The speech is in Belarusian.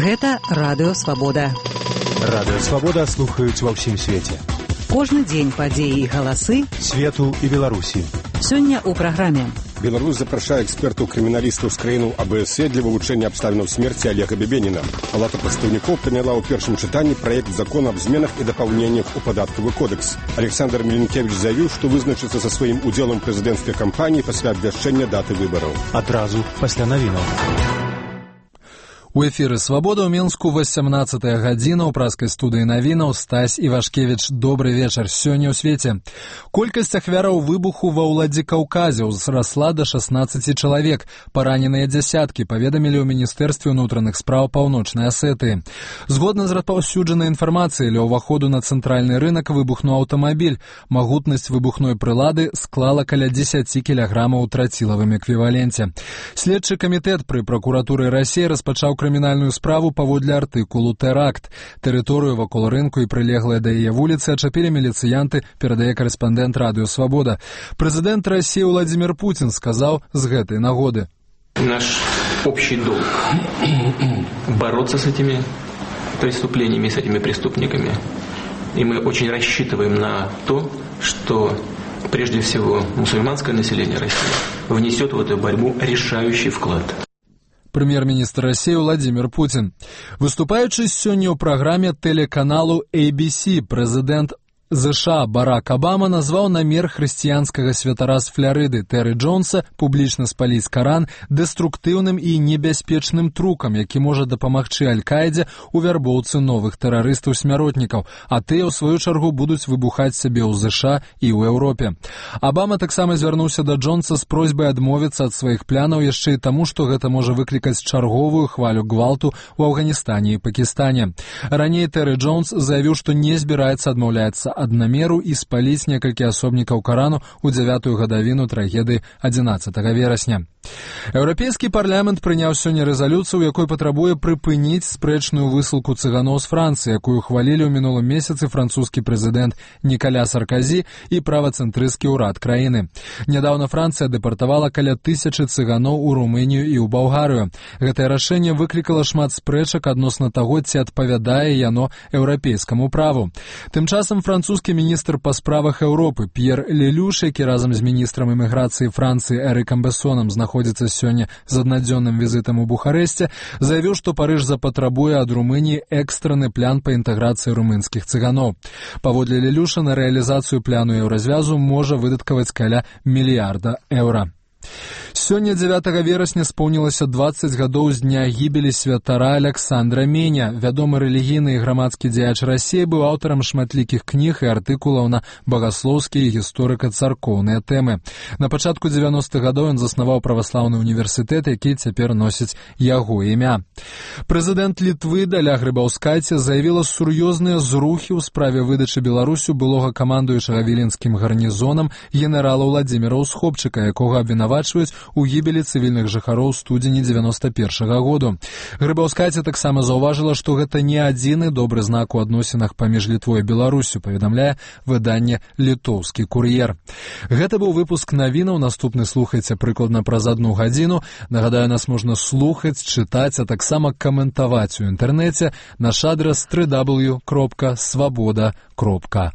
Гэта Радыё Свабода. Радыё Свабода слухаюць ва ўсім свеце. Кожны дзень падзеі і галасы свету і Беларусі. Сёння ў праграме. Беларусь запрашае экспертаў-крыміналістаў з краіну АБСЕ для вывучэння абставінаў смерці Олега Бебеніна. Палата прадстаўнікоў прыняла ў першым чытанні праект закона аб зменах і дапаўненнях у падатковы кодекс. Александр Меленкевич заявіў, што вызначыцца са сваім удзелам прэзідэнцкай кампаніі пасля абвяшчэння даты выбараў. Адразу пасля навінаў. У эфіры «Свабода» ў Мінску 18-я гадзіна ў праскай студыі навінаў Стась Івашкевіч. Добры вечар. Сёння ў свеце. Колькасць ахвяраў выбуху ва Ўладзікаўказе ўзрасла да 16 чалавек. Параненыя дзясяткі, паведамілі ў Міністэрстве ўнутраных спраў Паўночнай Асетыі. Згодна з распаўсюджанай інфармацыяй, ля ўваходу на цэнтральны рынак выбухнуў аўтамабіль. Магутнасць выбухной прылады склала каля 10 кілаграмаў у трацілавым эквіваленце. Следчы камітэт пры пракуратуры Расіі распачаў крымінальную справу паводле артыкулу «Тэракт». Тэрыторыю вакол рынку і прылеглыя да яе вуліцы ачапілі міліцыянты, перадае карэспандэнт Радыё Свабода. Прэзідэнт Расіі Владимир Путин сказаў з гэтай нагоды. Наш общий долг – бороться с этими преступлениями, с этими преступниками. И мы очень рассчитываем на то, что прежде всего мусульманское население России внесет в эту борьбу решающий вклад. Прэм'ер-міністр Расіі Владимир Путин. Выступаючы сёння ў праграме тэлеканалу ABC, прэзідэнт США Барак Обама назваў намер хрысціянскага святара з Фларыды Тэры Джонса публічна спаліць Каран дэструктыўным і небяспечным трукам, які можа дапамагчы Аль-Каідзе ў вярбоўцы новых тэрарыстаў-смяротнікаў, а тыя, ў сваю чаргу, будуць выбухаць сябе ў ЗША і ў Еўропе. Обама таксама звярнуўся да Джонса з просьбай адмовіцца ад сваіх планаў яшчэ і таму, што гэта можа выклікаць чарговую хвалю гвалту ў Афганістане і Пакістане. Раней Тэры Джонс заявіў, што не збіраецца адмаўляцца ад намеру і спаліць некалькі асобнікаў Карану ў 9-ю гадавіну трагедыі 11 верасня. Еўрапейскі парламент прыняў сёння рэзалюцыю, у якой патрабуе прыпыніць спрэчную высылку цыганоў з Францыі, якую хвалілі ў мінулым месяцы французскі прэзідэнт Нікаля Сарказі і правацэнтрысцкі ўрад краіны. Нядаўна Францыя дэпартавала каля 1000 цыганоў у Румынію і ў Балгарыю. Гэтае рашэнне выклікала шмат спрэчак адносна таго, ці адпавядае яно еўрапейскаму праву. Тым часам французскі міністр па справах Еўропы П'ер Лелюш, які разам з міністрам эміграцыі Францыі Эрыкам Бессонам знаходзіцца сёння з аднадзённым візітам у Бухарэсце, заявіў, што Парыж запатрабуе ад Румыніі экстраны план па інтэграцыі румынскіх цыганоў. Паводле Лелюша на рэалізацыю пляну еўразвязу можа выдаткаваць каля мільярда еўра. Сёння 9 верасня споўнілася 20 гадоў з дня гібелі святара Аляксандра Меня. Вядомы рэлігійны і грамадскі дзеяч Расіі быў аўтарам шматлікіх кніг і артыкулаў на багаслоўскія і гісторыка-царкоўныя тэмы. На пачатку 90-х гадоў ён заснаваў праваслаўны універсітэт, які цяпер носіць яго імя. Прэзідэнт Літвы Даля Грыбаўскайце заявіла сур'ёзныя зрухі ў справе выдачы Беларусю былога камандуючага віленскім гарнізонам генерала Владзіміра Усхопчыка, якога абвінавачваюць у гібелі цывільных жыхароў студзені 91-го году. Грыбаўскайце таксама заўважыла, што гэта не адзіны добры знак у адносінах паміж Літвой і Беларусю, паведамляе выданне «Літоўскі кур'ер». Гэта быў выпуск навінаў, наступны слухайце прыкладна праз 1 гадзіну. Нагадаю, нас можна слухаць, чытаць, а таксама каментаваць у інтэрнэце. Наш адрас www.swaboda.org.